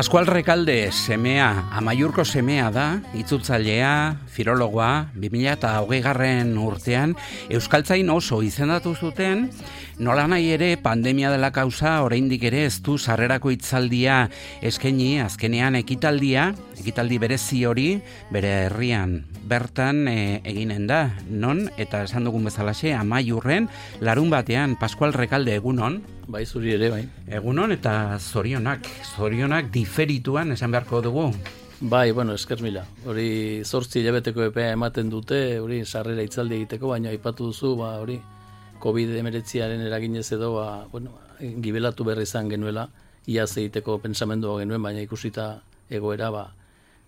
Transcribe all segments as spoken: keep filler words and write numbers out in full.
Pascual Rekalde semea, Amaiurko semea da, itzultzailea, filologoa, bi mila hogeigarren urtean, euskaltzain oso izendatu zuten, nola nahi ere pandemia dela kausa, oraindik ere ez du sarrerako hitzaldia eskaini, azkenean ekitaldia, ekitaldi berezi hori, bere herrian bertan e, eginen da, non, eta esan dugun bezalaxe, Amaiurren, larun batean, Pascual Rekalde egunon. Bai, zuri ere, bai. Egunon eta zorionak, zorionak diferituan esan beharko dugu. Bai, bueno, esker mila. Hori zortzi hilabeteko epea ematen dute, hori sarrera hitzaldi egiteko, baina aipatu duzu, ba, hori covid hemeretziaren eraginez edo, ba, bueno, gibelatu berri izan genuela, iaz egiteko pentsamendua genuen, baina ikusita egoera, ba,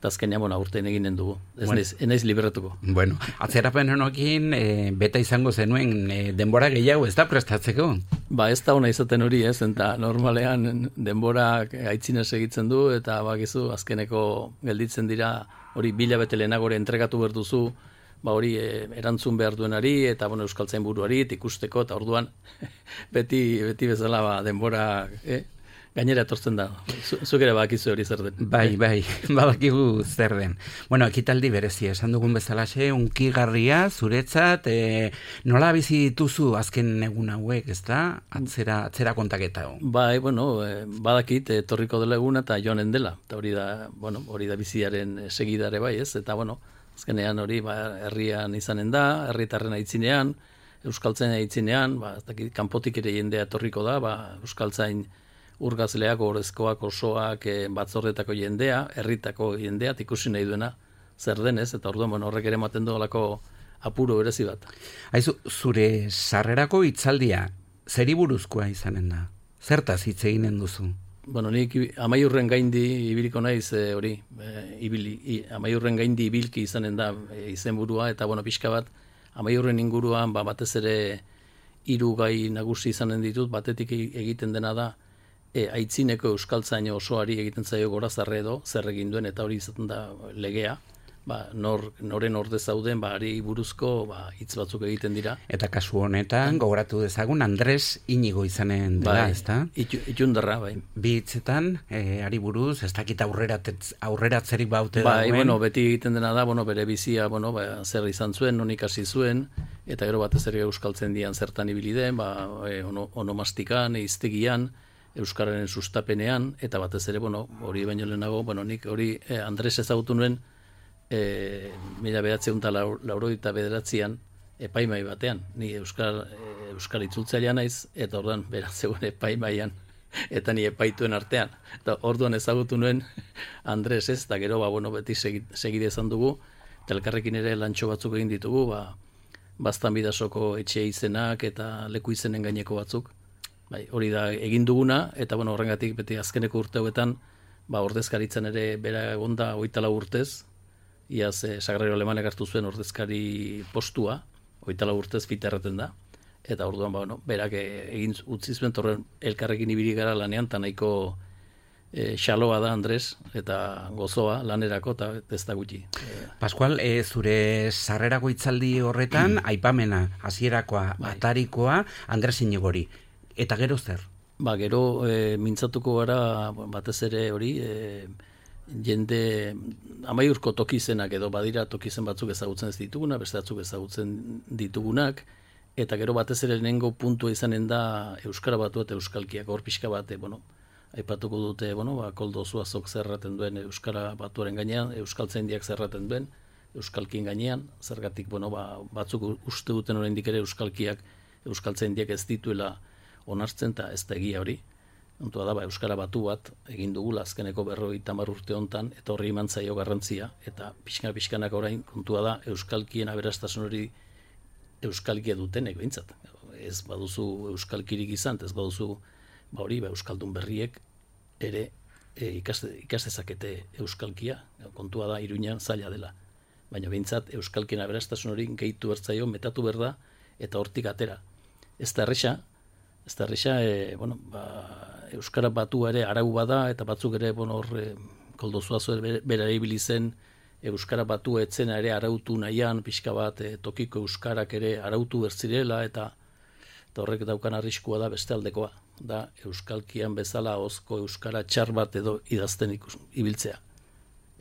eta azkenean, bueno, aurten eginen dugu. Ez bueno. naiz, naiz liberatuko. Bueno, atzerapen honokin, e, beta izango zenuen e, denbora gehiago ez da prestatzeko? Ba, ez da ona izaten hori, ez, eta normalean denbora aitzinez egitzen du, eta bakizu, azkeneko gelditzen dira, hori bilabete lehenagore entregatu behar duzu, ba hori e, erantzun behar duenari, eta bueno, euskaltzain buruari, ikusteko, eta orduan, beti, beti bezala, ba, denbora, eh? Gainera etortzen da, zuk ere bakizu hori zer den. Bai, bai, badakigu zer den. Bueno, ekitaldi berezia, esan dugun bezalaxe, unkigarria, zuretzat, e, nola bizi dituzu azken egun hauek, ez da? Atzera, atzera kontaketa. Bai, bueno, e, badakit, etorriko dela eguna eta joanen dela. Eta hori da, bueno, hori da biziaren segidare bai, ez? Eta, bueno, azkenean hori, ba, herrian izanen da, herritarren aitzinean, euskaltzain aitzinean, ba, ez dakit, kanpotik ere jendea etorriko da, ba, euskaltzain urgazleak, orezkoak, osoak, e, batzordetako jendea, herritako jendea, ikusi nahi duena zer denez, eta orduan bueno, horrek ere ematen duelako apuro berezi bat. Aizu, zure sarrerako hitzaldia, zeri buruzkoa izanen da? Zertaz hitz eginen duzu? Bueno, nik Amaiurren gaindi ibiliko naiz e, hori, e, ibili, i, Amaiurren gaindi ibilki izanen da e, izenburua, eta bueno, pixka bat, Amaiurren inguruan ba, batez ere hiru gai nagusi izanen ditut, batetik egiten dena da, E, aitzineko euskaltzain osoari egiten zaio gorazarre edo, zer egin duen, eta hori izaten da legea, ba, nor, noren orde zauden, ba, ari buruzko ba, hitz batzuk egiten dira. Eta kasu honetan, gogoratu dezagun, Andres Inigo izanen dela, bai, ez da? Itu, itundarra, bai. Bi hitzetan, e, ari buruz, ez dakit aurreratz, aurreratzerik baute bai, dagoen. Bueno, beti egiten dena da, bueno, bere bizia, bueno, ba, zer izan zuen, non ikasi zuen, eta gero batez ere euskaltzen dian zertan ibili den, ba, e, ono, onomastikan, eiztegian, euskararen sustapenean, eta batez ere, bueno, hori baino lehenago, bueno, nik hori eh, Andres ezagutu nuen, eh, mila behatzeun eta laurogeita bederatzean, epaimai batean, ni euskal, eh, euskal itzultzailea naiz, eta orduan beratzeuen epaimaian, eta ni epaituen artean. Eta orduan ezagutu nuen Andres ez, eta gero, ba, bueno, beti segide izan dugu, eta elkarrekin ere lantxo batzuk egin ditugu, ba, Baztan Bidasoko etxe izenak eta leku izenen gaineko batzuk. Bai, hori da egin duguna, eta bueno, horrengatik beti azkeneko urte hauetan, ba, ordezkaritzen ere bera egonda hogeita lau urtez, iaz e, Sagrario Alemanek hartu zuen ordezkari postua, hogeita lau urtez fita erraten da, eta orduan, ba, bueno, berak egin utzi zuen, torren elkarrekin ibili gara lanean, eta nahiko e, xaloa da Andres, eta gozoa lanerako, eta ez da gutxi. Pascual, e, zure sarrerako hitzaldi horretan, aipamena, hasierakoa, bai. Atarikoa, Andres Inigori. Eta gero zer? Ba, gero e, mintzatuko gara batez ere hori, e, jende Amaiurko tokizenak edo badira tokizen batzuk ezagutzen ez ditugunak, beste batzuk ezagutzen ditugunak, eta gero batez ere lehenengo puntua izanen da Euskara Batua eta Euskalkiak, hor pixka bat, bueno, aipatuko dute, bueno, ba, Koldo Zuazok zerraten duen Euskara Batuaren gainean, Euskaltzaindiak zerraten duen Euskalkien gainean, zergatik, bueno, ba, batzuk uste duten oraindik ere Euskalkiak, Euskaltzaindiak ez dituela onartzen, eta ez da egia hori. Ontua da, ba, Euskara Batu bat egin dugula azkeneko berrogeita hamar urte hontan, eta horri eman zaio garrantzia, eta pixkana-pixkanak orain kontua da Euskalkien aberastasun hori Euskalkia dutenek behintzat. Ez baduzu Euskalkirik izan, ez baduzu ba hori, ba, Euskaldun berriek ere e, ikaste, ikastezakete Euskalkia, kontua da Iruñan zaila dela. Baina behintzat Euskalkien aberastasun hori gehitu bertzaio, metatu berda, eta hortik atera. Ez da erresa, Ez da erresa, e, bueno, ba, Euskara Batua ere arau bada, eta batzuk ere, bueno, hor, e, Koldo Zuazo bera ibili zen, Euskara Batua etzena ere arautu nahian, pixka bat, e, tokiko Euskarak ere arautu bertzirela, eta eta horrek daukan arriskua da beste aldekoa, da euskalkian bezala ahozko euskara txar bat edo idazten ikus, ibiltzea.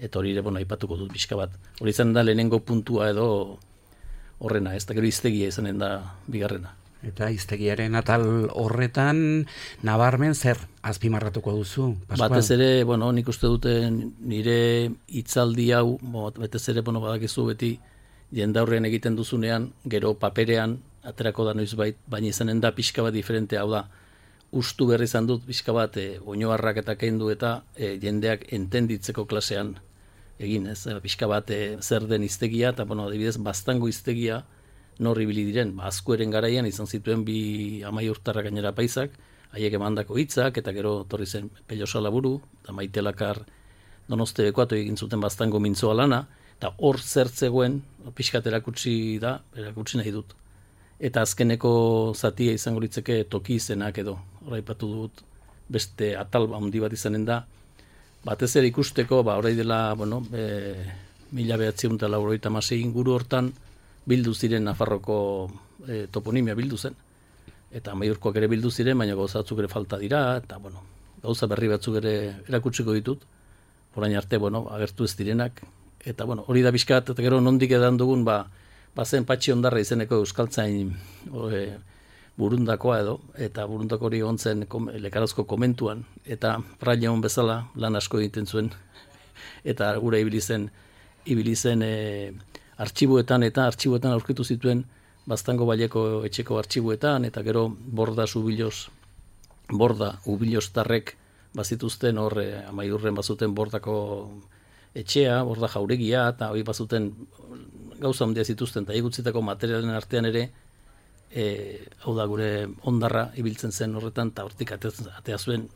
Eta hori ere, bueno, aipatuko dut pixka bat. Hori izan da lehenengo puntua edo horrena, ez da gero hiztegia izanen da bigarrena. Eta hiztegiaren atal horretan nabarmen zer azpimarratuko duzu, Pascual? Batez ere, bueno, nik uste dute nire hitzaldi hau, batez ere, bueno, badakizu beti jendaurrean egiten duzunean, gero paperean aterako da noizbait, baina izanen da pixka bat diferente, hau da, ustu berri izan dut pixka bat e, oinoarrak eta kendu eta e, jendeak entenditzeko klasean egin, ez, pixka bat e, zer den hiztegia, eta, bueno, adibidez, baztango hiztegia nor ibili diren, ba, azkueren garaian izan zituen bi amaiurtarra gainera paisak, haiek emandako hitzak, eta gero torri zen Pello Salaburu, eta Maite Lakar Donoste Bekoatu egin zuten baztango mintzoa lana, eta hor zertzegoen, pixkat erakutsi da, erakutsi nahi dut. Eta azkeneko zatia izango litzeke toki izenak edo, hor aipatu dut, beste atal handi bat izanen da, batez ere ikusteko, ba, orai dela, bueno, e, mila behatziehun eta laurogeita hamasei inguru hortan, bildu ziren Nafarroko e, toponimia bildu zen. Eta Amaiurkoak ere bildu ziren, baina gauza batzuk ere falta dira, eta bueno, gauza berri batzuk ere erakutsiko ditut, orain arte, bueno, agertu ez direnak, eta bueno, hori da bizkat, eta gero nondik edan dugun, ba, bazen Patxi Ondarra izeneko euskaltzain e, burundakoa edo, eta burundako hori ontzen kom, lekarazko komentuan, eta Fraileon bezala lan asko egiten zuen, eta gure ibili zen, ibili zen e, artxibuetan eta artxibuetan aurkitu zituen Baztango Baileko etxeko artxibuetan, eta gero borda zubiloz, borda ubiloztarrek bazituzten hor e, Amaiurren bazuten bordako etxea, borda jauregia, eta hori bazuten gauza handia zituzten, eta egutzitako materialen artean ere, e, hau da gure Ondarra ibiltzen zen horretan, eta hortik atea zuen,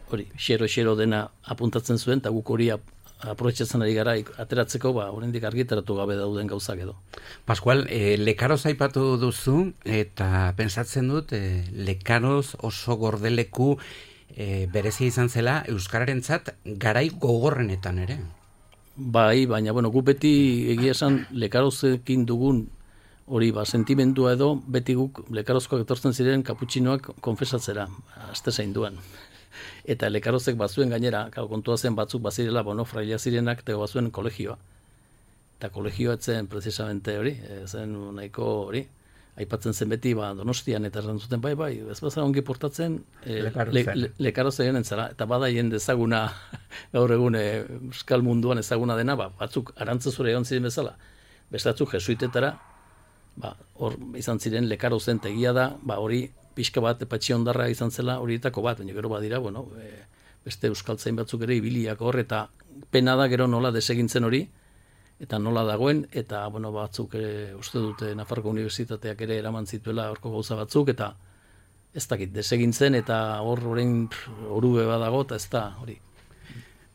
hori, xero-xero dena apuntatzen zuen, eta guk hori aprobetxatzen ari gara ateratzeko, ba, oraindik argitaratu gabe dauden gauzak edo. Pascual, e, Lekaroz aipatu duzu, eta pentsatzen dut, e, Lekaroz oso gordeleku e, berezia izan zela euskararentzat garai gogorrenetan ere. Bai, baina, bueno, gu beti egia esan Lekarozekin dugun hori, ba, sentimendua edo, beti guk Lekarozkoak etortzen ziren kaputxinoak konfesatzera, aste zainduan. Eta Lekarozek bazuen gainera, kontua zen batzuk bazirela, bueno, fraila zirenak, eta bazuen kolegioa. Eta kolegioa etzen, precisamente hori, zen nahiko hori, aipatzen zen beti, ba, Donostian, eta erantzuten, bai, bai, ez bazara ongi portatzen, e, Lekarozen entzara, eta bada jende ezaguna, gaur egun e, euskal munduan ezaguna dena, ba, batzuk arantzazura egon ziren bezala, bestatzuk jesuitetara, ba, hor izan ziren Lekarozen tegia da, ba, hori, pixka bat, Patxi Ondarra izan zela horietako bat, baina gero badira, bueno, e, beste euskaltzain batzuk ere ibiliak hor, eta pena da gero nola desegintzen hori, eta nola dagoen, eta bueno, batzuk ere, uste dute Nafarroko Unibertsitateak ere eraman zituela horko gauza batzuk, eta ez dakit, desegintzen, eta hor horrein orube badago, eta ez da hori.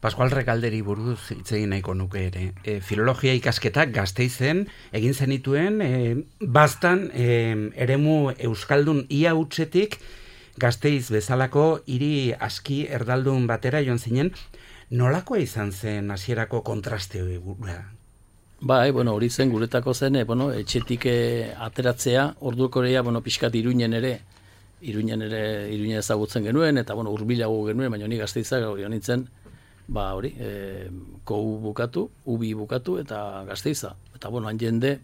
Pascual Rekalderi buruz hitz egin nahiko nuke ere. E, filologia ikasketak Gasteizen egin zenituen, e, baztan e, eremu euskaldun ia hutsetik Gasteiz bezalako hiri aski erdaldun batera joan zinen, nolakoa izan zen hasierako kontraste hori gura? Bai, bueno, hori zen guretako zen, e, bueno, etxetik e, ateratzea, orduko ere, bueno, pixkat Iruinen ere, Iruinen ere, Iruinen ezagutzen genuen, eta bueno, hurbilago genuen, baina ni Gasteizak hori honitzen, ba hori, e, kou bukatu, ubi bukatu eta Gasteiza. Eta bueno, han jende,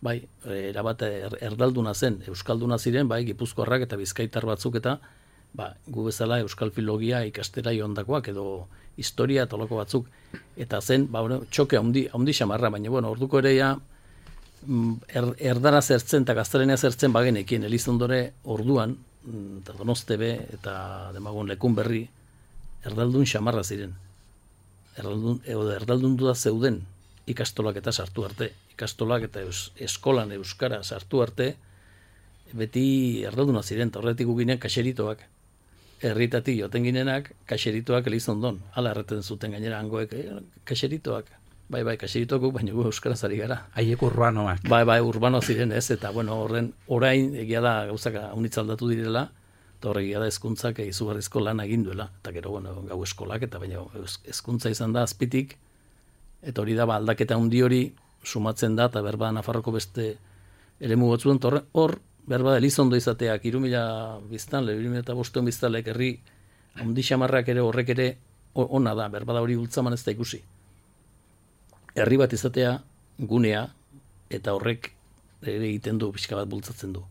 bai, erabat er, erdalduna zen, euskalduna ziren, bai, gipuzkoarrak eta bizkaitar batzuk eta ba, gu bezala euskal filologia ikastera joandakoak edo historia eta loko batzuk. Eta zen, ba, bueno, txoke handi, handi xamarra, baina bueno, orduko ere ja, er, erdara zertzen eta gaztarenea zertzen bagenekien, Elizondore orduan, eta Donostebe eta demagun Lekun Berri, erdaldun xamarra ziren. Erdaldun, erdaldun da zeuden ikastolak eta sartu arte, ikastolak eta eus, eskolan euskara sartu arte, beti erdalduna ziren, eta horretik guginen kaxeritoak. Herritatik joten ginenak, kaxeritoak Elizondon. Hala erreten zuten gainera hangoek, eh, kaxeritoak. Bai, bai, kaxeritoak, baina gu euskaraz ari gara. Haiek urbanoak. Bai, bai, urbano ziren ez, eta bueno, horren, orain egia da gauzak haunitzaldatu direla, eta horregia da hezkuntzak izugarrizko lan egin duela, eta gero, bueno, gau eskolak, eta baina hezkuntza izan da azpitik, eta hori da, ba, aldaketa handi hori sumatzen da, eta berba Nafarroko beste eremu batzuen, hor, behar bada Elizondo izateak, hiru mila biztanle, hiru mila bostehun biztanleek herri handi xamarrak ere horrek ere ona da, behar bada hori ultzaman ez da ikusi. Herri bat izatea gunea eta horrek ere egiten du, pixka bat bultzatzen du.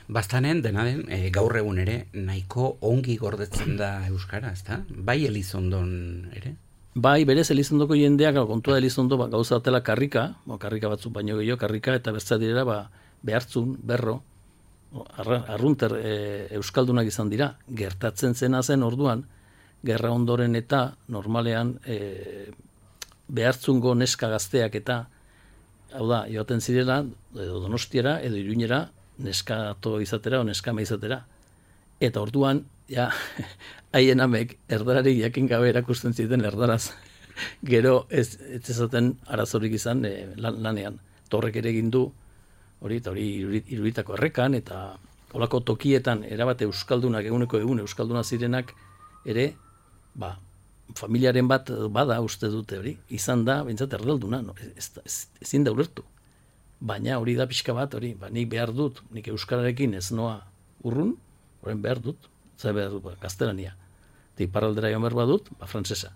Bastanen, dena den, e, gaur egun ere, nahiko ongi gordetzen da euskara, ezta? Bai Elizondon ere? Bai, berez Elizondoko jendeak, kontua da Elizondo ba, gauza batela karrika, bo, karrika batzuk baino gehiago, karrika eta bestea direla ba, behartzun, berro, arrunter e, euskaldunak izan dira, gertatzen zena zen orduan, gerra ondoren eta normalean e, behartzungo neska gazteak eta, hau da, joaten zirela, edo Donostiara, edo Iruñera, neskato izatera o neskame izatera. Eta orduan, ja, haien amek erdararik jakin gabe erakusten ziten erdaraz. Gero ez, ez ezaten arazorik izan e, lan, lanean. Torrek ere egin du, hori eta hori iruritako errekan, eta olako tokietan erabate euskaldunak, eguneko egun euskalduna zirenak, ere, ba, familiaren bat bada uste dute hori, izan da, bintzat erdalduna, no, ez, ez, ezin da ulertu. Baina hori da pixka bat, hori, ba, nik behar dut, nik euskararekin ez noa urrun, horren behar dut, zai behar dut, ba, gaztelania. Eta iparraldera joan behar badut, ba, frantsesa.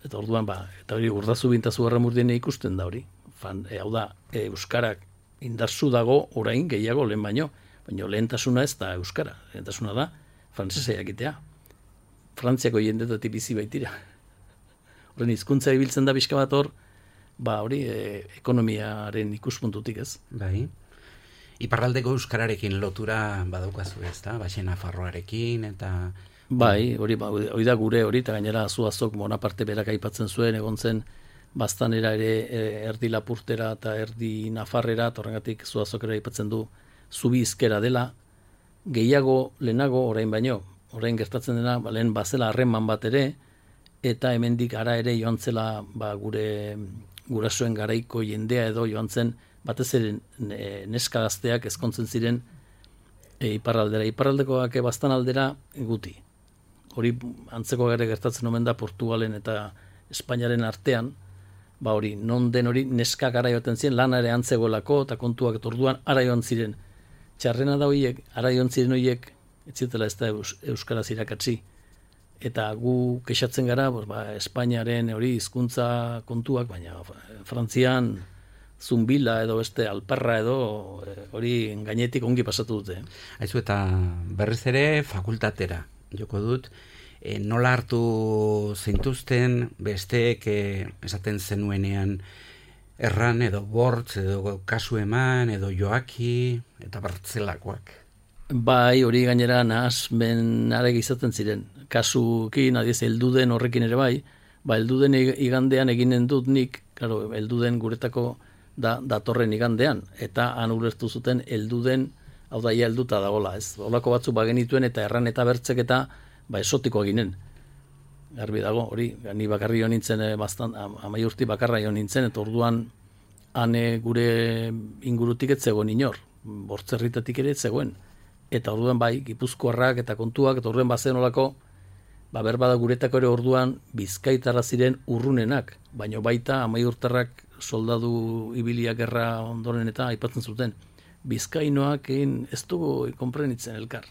Eta orduan, ba, eta hori urdazu bintazu garramurdien ikusten da hori. Fan, e, hau da, e, euskarak indarzu dago orain gehiago lehen baino, baina lehentasuna ez da euskara, lehentasuna da frantsesa jakitea. Frantziako jendetatik bizi baitira. Horren hizkuntza ibiltzen da pixka bat hor, ba hori e, ekonomiaren ikuspuntutik ez. Bai. Iparraldeko euskararekin lotura badaukazu ez da, Baxe Nafarroarekin eta... Bai, hori, ba, hori da gure hori, eta gainera Zuazok Bonaparte berak aipatzen zuen, egon zen Baztanera ere e, erdi Lapurtera eta erdi Nafarrera, eta horrengatik Zuazok ere aipatzen du zubi hizkera dela, gehiago lehenago orain baino, orain gertatzen dena, ba, lehen bazela harreman bat ere, eta hemendik ara ere joan zela ba, gure gurasoen garaiko jendea edo joan zen batez ere neska gazteak ezkontzen ziren e, iparraldera. Iparraldekoak bastan aldera guti. Hori antzeko ere gertatzen omen da Portugalen eta Espainiaren artean, ba hori, non den hori neska gara joaten ziren, lana ere antzegoelako eta kontuak eta orduan ara joan ziren. Txarrena da horiek, ara joan ziren horiek, ez zitela ez da eus, euskaraz irakatsi. Eta gu kexatzen gara, ba, Espainiaren hori hizkuntza kontuak, baina Frantzian zumbila edo beste alparra edo hori gainetik ongi pasatu dute. Aizu eta berriz ere fakultatera, joko dut, e, nola hartu zeintuzten besteek e, esaten zenuenean erran edo bortz edo kasu eman edo joaki eta bartzelakoak. Bai, hori gainera nahasmen arek izaten ziren. Kasukin, adiez, elduden horrekin ere bai, ba, elduden igandean eginen dut nik, claro, elduden guretako da, datorren igandean, eta han ulertu zuten elduden, hau da, ia elduta dagola, ez? Olako batzuk bagenituen eta erran eta bertzek eta ba, esotikoa ginen. Garbi dago, hori, ni bakarri jo nintzen, bastan, amai urti bakarra jo nintzen, eta orduan han gure ingurutik ez zegoen inor, bortzerritatik ere ez zegoen. Eta orduan bai, Gipuzkoarrak eta kontuak, eta orduan bazen olako, ba, berbada guretako ere orduan bizkaitarra ziren urrunenak, baino baita amaiurtarrak soldadu ibiliak gerra ondoren eta aipatzen zuten. Bizkainoak egin ez dugu konprenitzen elkar.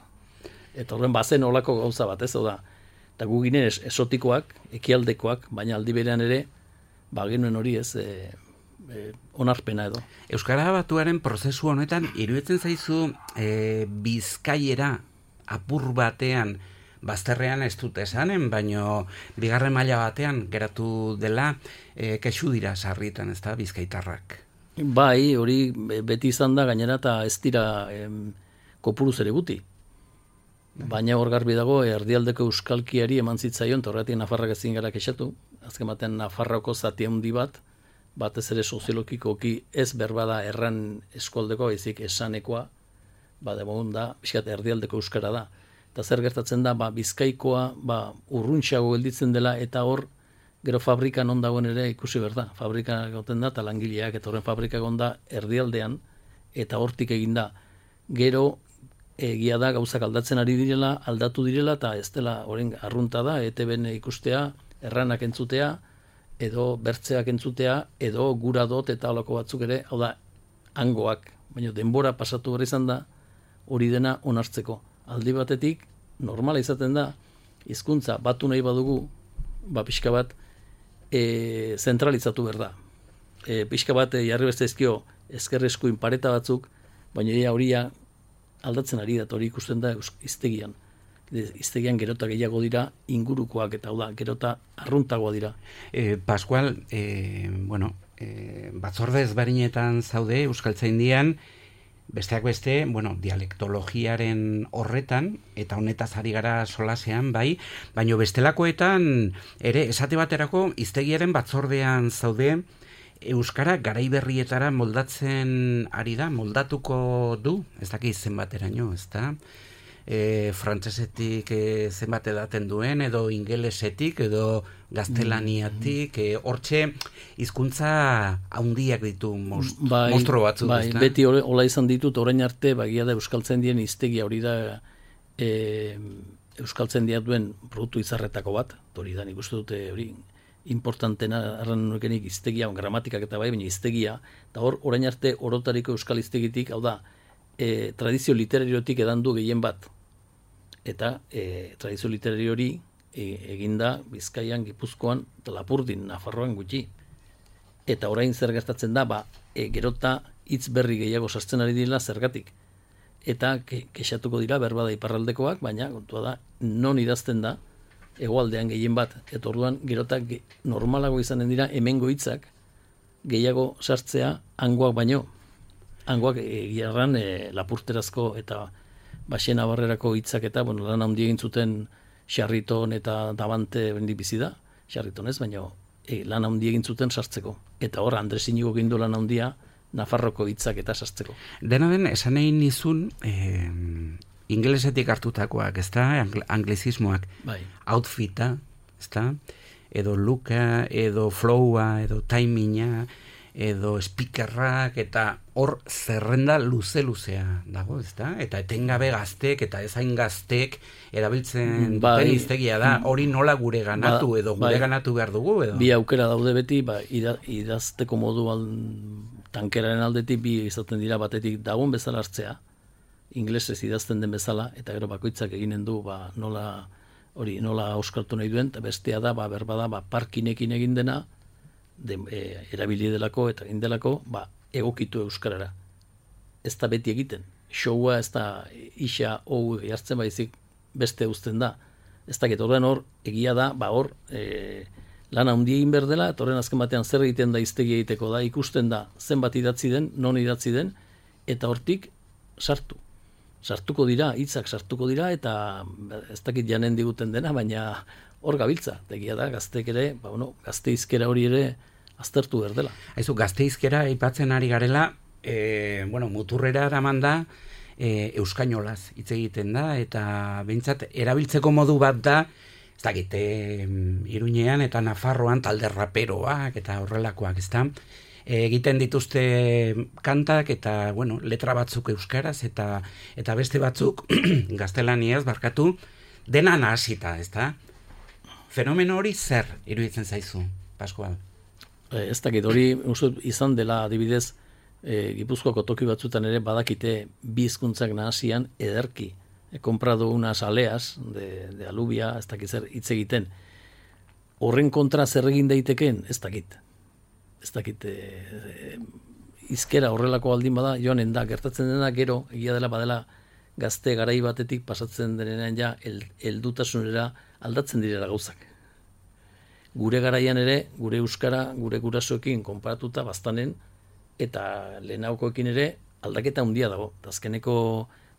Eta horren bazen olako gauza bat, ez da. Eta gu ginen esotikoak, ekialdekoak, baina aldi berean ere, ba genuen hori ez, e, e, onarpena edo. Euskara Batuaren prozesu honetan, iruditzen zaizu e, bizkaiera apur batean, bazterrean ez dut esanen, baino bigarren maila batean geratu dela e, kexu dira sarritan, ez da, bizkaitarrak. Bai, hori beti izan da gainera eta ez dira em, kopuruz ere guti. Baina hor garbi dago, erdialdeko euskalkiari eman zitzaion, eta horretik Nafarrak ezin gara kexatu, azken batean Nafarroko zati handi bat, batez ere soziologikoki ez berbada erran eskualdeko, ezik esanekoa, ba, demogun da, pixkat erdialdeko euskara da. Eta zer gertatzen da, ba, bizkaikoa ba, urruntxago gelditzen dela, eta hor, gero fabrika non dagoen ere ikusi berda. Fabrika goten da, eta langileak, eta horren fabrika gonda erdialdean, eta hortik egin da. Gero, egia da, gauzak aldatzen ari direla, aldatu direla, eta ez dela horren arrunta da, E T B-en ikustea, erranak entzutea, edo bertzeak entzutea, edo gura dot eta holako batzuk ere, hau da, hangoak, baina denbora pasatu behar izan da hori dena onartzeko. Aldi batetik, normala izaten da, hizkuntza batu nahi badugu, ba pixka bat, e, zentralizatu behar da. E, pixka bat e, jarri beste ezkio ezkerreskuin pareta batzuk, baina ia horia aldatzen ari da, hori ikusten da hiztegian. Hiztegian gerota gehiago dira ingurukoak eta hau da, gerota arruntagoa dira. E, Pascual, e, bueno, e, batzorde ezberdinetan zaude Euskaltzaindian, besteak beste, bueno, dialektologiaren horretan, eta honetaz ari gara solasean, bai, baino bestelakoetan, ere, esate baterako, hiztegiaren batzordean zaude, Euskara garai berrietara moldatzen ari da, moldatuko du, ez dakit zenbateraino, ez da? E, frantsesetik e, zenbat edaten duen, edo ingelesetik, edo gaztelaniatik, e, hortxe hizkuntza handiak ditu most, bai, mostro batzuk. Bai, beti hola izan ditut, orain arte, bagia da Euskaltzaindien hiztegia hori da e, Euskaltzaindia duen produktu izarretako bat, hori da, nik uste dute hori importantena arran nukenik hiztegia, gramatikak eta bai, baina hiztegia, eta hor, orain arte orotariko euskal hiztegitik, hau da, e, tradizio literariotik edan du gehien bat. Eta e, tradizio literario hori e, eginda Bizkaian, Gipuzkoan, eta Lapurdin, Nafarroan gutxi. Eta orain zer gertatzen da, ba, e, gerota hitz berri gehiago sartzen ari dira zergatik. Eta ke, kexatuko dira berbada iparraldekoak, baina kontua da, non idazten da, hegoaldean gehien bat, eta orduan gerotak ge, normalago izanen dira hemengo hitzak gehiago sartzea hangoak baino. Hangoak egiarran e, lapurterazko eta Baxena Barrerako hitzak eta bueno, lan handi egin zuten Xarriton eta Dabante bendi bizi da, Xarriton ez, baina e, lan handi egin zuten sartzeko. Eta hor Andres Inigo gindu lan handia Nafarroko hitzak eta sartzeko. Dena den, esan egin nizun, eh, ingelesetik hartutakoak, ez da, anglizismoak, bai. Outfita, ez da, edo looka, edo flowa, edo timinga, edo speakerrak, eta hor zerrenda luze-luzea dago, ez da? Eta etengabe gaztek, eta ezain gaztek erabiltzen bai, duten hiztegia da, hori nola gure ganatu, ba, edo gure bai, ganatu behar dugu, edo? Bi aukera daude beti, ba, ida, idazteko modu al, tankeraren aldetik bi izaten dira batetik dagoen bezala hartzea, inglesez idazten den bezala, eta gero bakoitzak eginen du, ba, nola hori nola auskartu nahi duen, eta bestea da, ba, berbada, ba, parkinekin egin dena, de, e, erabili delako eta egin delako, ba, egokitu euskarara. Ez da beti egiten. Showa ez da isa hau jartzen baizik beste uzten da. Ez da horren hor, egia da, ba hor, e, lan handi egin behar dela, eta horren azken batean zer egiten da hiztegi egiteko da, ikusten da zenbat idatzi den, non idatzi den, eta hortik sartu. Sartuko dira, hitzak sartuko dira, eta ez dakit janen diguten dena, baina hor gabiltza. Egia da, gazteek ere, ba, bueno, gazte hizkera hori ere aztertu behar dela. Aizu, gazte hizkera aipatzen ari garela, e, bueno, muturrera eraman da, e, euskainolaz hitz egiten da, eta behintzat erabiltzeko modu bat da, ez dakit, e, Iruñean eta Nafarroan talde raperoak eta horrelakoak, ez da? Egiten dituzte kantak eta, bueno, letra batzuk euskaraz eta eta beste batzuk gaztelaniaz barkatu, dena nahasita, ez da? Fenomeno hori zer iruditzen zaizu, Pascual? Ez dakit, hori izan dela adibidez, e, Gipuzkoako toki batzutan ere badakite bi hizkuntzak nahasian ederki. He comprado unas aleas de, de alubia, ez dakit zer hitz egiten. Horren kontra zer egin daiteken, ez dakit. Ez dakit, e, e, izkera horrelako aldin bada, joanen da, gertatzen dena gero, egia dela badela gazte garai batetik pasatzen denean ja, el, eldutasunera aldatzen direla gauzak. Gure garaian ere, gure euskara, gure gurasoekin konparatuta baztanen, eta lehenaukoekin ere aldaketa handia dago. Azkeneko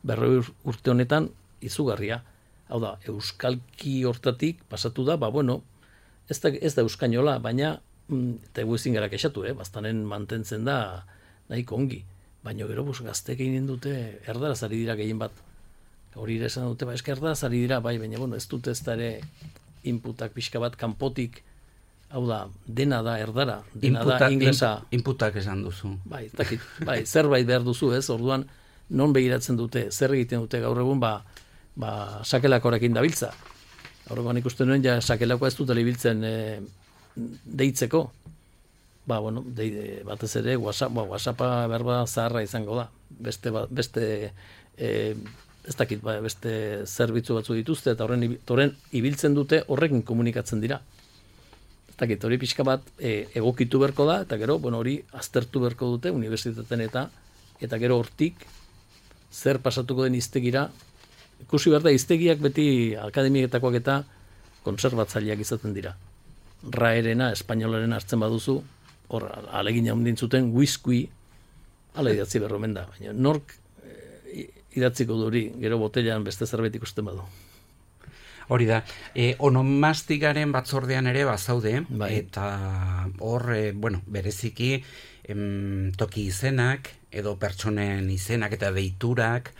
berrogei urte honetan izugarria. Hau da, euskalki hortatik pasatu da, ba bueno, ez da, ez da euskainola, baina eta egu ezin gara kexatu, eh? Baztanen mantentzen da nahiko ongi. Baina gero bus, gazteek egin dute erdaraz ari dira gehien bat. Hori ere esan dute, ba, eska erdaraz ari dira, bai, baina bueno, ez dute ez da ere inputak pixka bat kanpotik, hau da, dena da erdara, dena Inputa, da inglesa. Inputak esan duzu. Bai, dakit, bai, zerbait behar duzu, ez? Orduan, non begiratzen dute, zer egiten dute gaur egun, ba, ba sakelakorekin dabiltza. Horregoan ikusten nuen, ja, sakelakoa ez dute ibiltzen e, deitzeko. ba, bueno, de, batez ere, WhatsApp, ba, WhatsAppa berba zaharra izango da. Beste, ba, beste e, ez dakit, ba, beste zerbitzu batzu dituzte, eta horren, horren ibiltzen dute, horrekin komunikatzen dira. Ez dakit, hori pixka bat e, egokitu berko da, eta gero, bueno, hori aztertu berko dute, unibertsitateen eta, eta gero hortik, zer pasatuko den hiztegira, ikusi behar da, hiztegiak beti akademietakoak eta konserbatzaileak izaten dira. Raerena, espainolaren hartzen baduzu, hor, alegina hundin zuten, whiskui, ala idatzi berromen da. Baina nork e, idatziko du hori, gero botellan beste zerbait ikusten badu. Hori da, e, onomastikaren batzordean ere bazaude, bai. Eta hor, e, bueno, bereziki em, toki izenak, edo pertsonen izenak eta deiturak,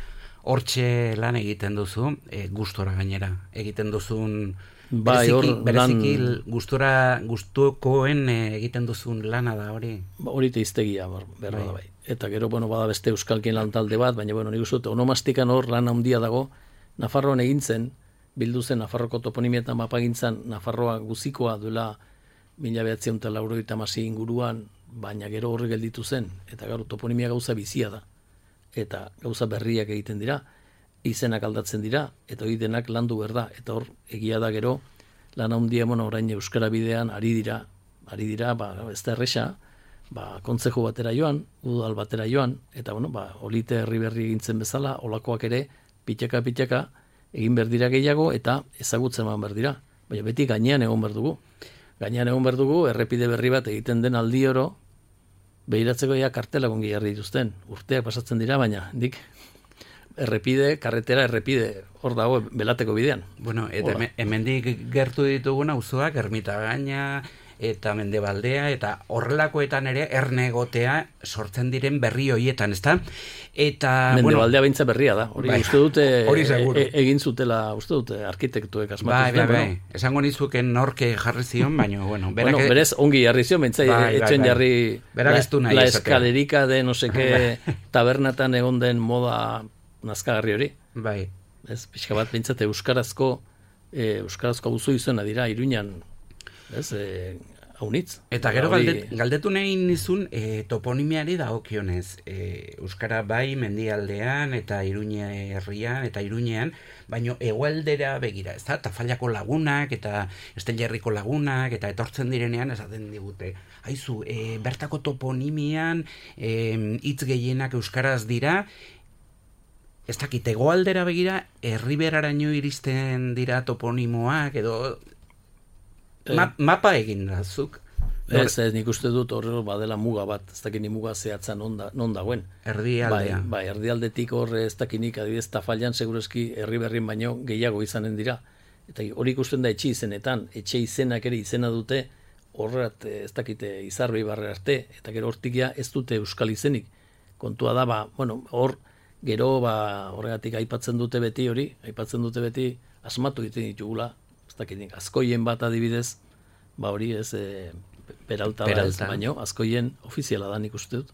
hortxe lan egiten duzu, e, gustora gainera, egiten duzun, bai, bereziki, hor, bereziki lan, gustora, gustukoen e, egiten duzun lana da hori. Ba, hori teiztegia, berra da bai. Eta gero, bueno, bada beste euskalkien lan talde bat, baina, bueno, nik uste dut, onomastikan hor lan handia dago, Nafarroan egin zen, bildu zen Nafarroko toponimietan mapagintzan, Nafarroa guzikoa duela mila behatziehun eta laurogeita hamasei inguruan, baina gero horri gelditu zen, eta gero toponimia gauza bizia da, eta gauza berriak egiten dira, izenak aldatzen dira, eta hori denak landu behar da, eta hor egia da gero, lan handia bueno, orain euskara bidean ari dira, ari dira, ba, ez da erresa, ba, kontzeju batera joan, udal batera joan, eta bueno, ba, olite herri berri egintzen bezala, olakoak ere, pitaka-pitaka, egin behar dira gehiago, eta ezagutzen eman behar dira. Baina beti gainean egon behar dugu. Gainean egon behar dugu, errepide berri bat egiten den aldi oro, behiratzeko ja kartelak ongi jarri dituzten. Urteak pasatzen dira, baina dik errepide, karretera, errepide, hor dago belateko bidean. Bueno, eta hemendik gertu ditugun auzoak Ermitagaina eta Mendebaldea, eta horrelakoetan ere erne egotea sortzen diren berri hoietan, ezta? Eta Mendebaldea bueno, beintza berria da. Hori bai, uste dute hori seguru. E, egin zutela, uste dute arkitektuek asmatu bai, zuten. Bai, bai, bai. Esango nizuken norke jarri zion, baina bueno, berak bueno, berez ongi jarri zion, beintza bai, etxen bai, jarri berak ez du nahi la escalerika de no sé qué tabernatan egon den moda nazkagarri hori. Bai. Ez, pixka bat behintzat euskarazko e, euskarazko auzo izena dira Iruñan, ez, e, haunitz. Eta gero galdet, galdetu nahi nizun e, toponimiari dagokionez. E, euskara bai mendialdean eta Iruña herrian eta Iruñean, baino hegoaldera begira, ez da, Tafallako lagunak eta Estellerriko lagunak eta etortzen direnean esaten digute. Haizu, e, bertako toponimian hitz e, gehienak euskaraz dira. Ez dakit, hegoaldera begira, herriberaraino iristen dira toponimoak, edo ma, mapa egin da, zuk? Ez, ez, nik uste dut horre badela muga bat, ez dakit ni muga zehatza non, da, non dagoen. Erdialdea. Bai, bai, erdialdetik horre ez dakinik, adibidez, Tafallan segurazki herri berrin baino gehiago izanen dira. Eta hori ikusten da etxe izenetan, etxe izenak ere izena dute, horret ez dakite izarri barre arte, eta gero hortikia ez dute euskal izenik. Kontua da, ba, bueno, hor, gero, ba, horregatik aipatzen dute beti hori, aipatzen dute beti asmatu egiten ditugula, ez dakitik, Azkoien bat adibidez, ba hori ez, e, Peralta, Peralta. Baino, Azkoien ofiziala da nik uste dut.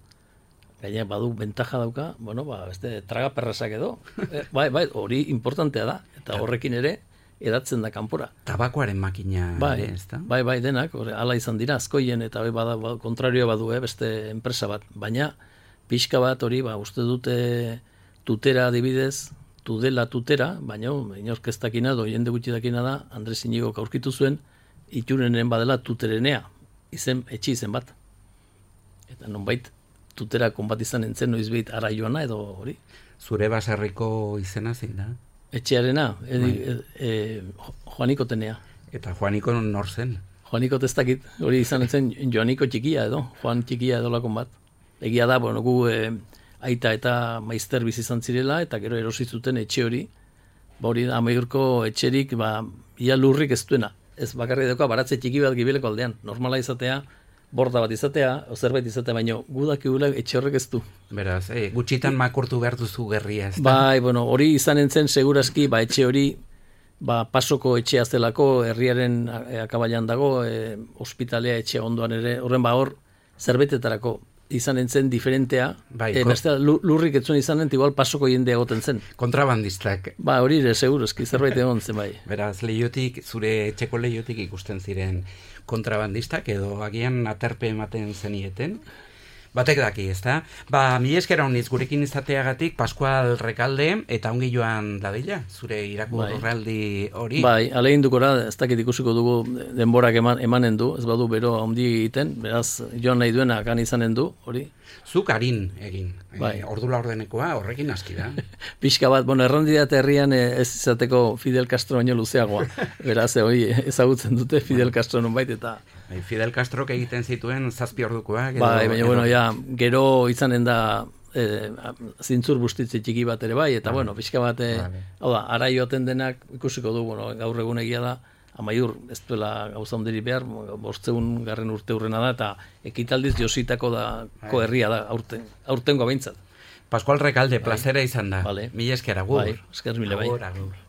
Gaina badu bentaja dauka, bueno, ba, beste traga perrasak edo, e, bai, bai, hori importantea da, eta horrekin ere, edatzen da kanpora. Tabakoaren makina bai, ere, ez da? Bai, bai, denak, hori, ala izan dira, Azkoien, eta bai, bada, ba, kontrarioa badu, eh, beste enpresa bat, baina, pixka bat hori, ba, uste dute tutera adibidez, tudela tutera, baina inork ez dakina, do jende gutxi dakina da, Andres Inigo aurkitu zuen, iturenen badela tuterenea, izen, etxe izen bat. Eta nonbait, tutera konbat izan entzen noiz ara joana edo hori. Zure baserriko izena zein da? Etxearena, edi, e, e, Joaniko tenea. Eta Joaniko nor zen? Joaniko testakit, hori izan entzen Joaniko txikia edo, Joan txikia edo lakon bat. Egia da, bueno, gu e, aita eta maizter bizi izan zirela, eta gero erosi zuten etxe hori, ba hori da, Amaiurko etxerik, ba, ia lurrik ez duena. Ez bakarri dauka, baratze txiki bat Gibeleko aldean. Normala izatea, borda bat izatea, o zerbait izatea, baino gudak egula etxe horrek ez du. Beraz, eh, gutxitan makurtu behar duzu gerria, ez da? Bai, bueno, hori izan entzen segurazki, ba, etxe hori, ba, pasoko etxea zelako, herriaren akabailan dago, e, ospitalea etxe ondoan ere, horren ba hor, zerbetetarako izan entzen diferentea, bai, e, bestea lurrik etzuen izan ent, igual pasoko jende egoten zen. Kontrabandistak. Ba, hori ere, seguruzki, zerbait egon zen bai. Beraz, lehiotik, zure etxeko lehiotik ikusten ziren kontrabandistak, edo agian aterpe ematen zenieten. Batek daki, ezta? Ba, mi esker honiz gurekin izateagatik Pascual Rekalde eta ongi joan dadila, zure irakurraldi hori. Bai, alegin dukora, ez dakit ikusiko dugu denborak eman, emanen du, ez badu bero handi egiten, beraz joan nahi duena kan izanen du, hori. Zuk harin egin, bai. e, ordu laurdenekoa horrekin aski da. Pixka bat, bueno, errandidat herrian ez izateko Fidel Castro baino luzeagoa, beraz, hori ezagutzen dute Fidel Castro nonbait eta... Fidel Castrok egiten zituen zazpi ordukoak. Bai, baina, bueno, ja, gero izanen da eh, zintzur bustitze txiki bat ere bai, eta, vale. bueno, pixka bat, eh, vale. hau da, ara joaten denak ikusiko du, bueno, gaur egun egia da, amaiur, ez duela gauza ondiri behar, bortzeun garren urte hurrena da, eta ekitaldiz jositako da, koherria da, aurten, aurtengo behintzat. Pascual Rekalde, plazera izan da. Vale. Mila esker, agur. Bai, esker mile bai. Agur, agur.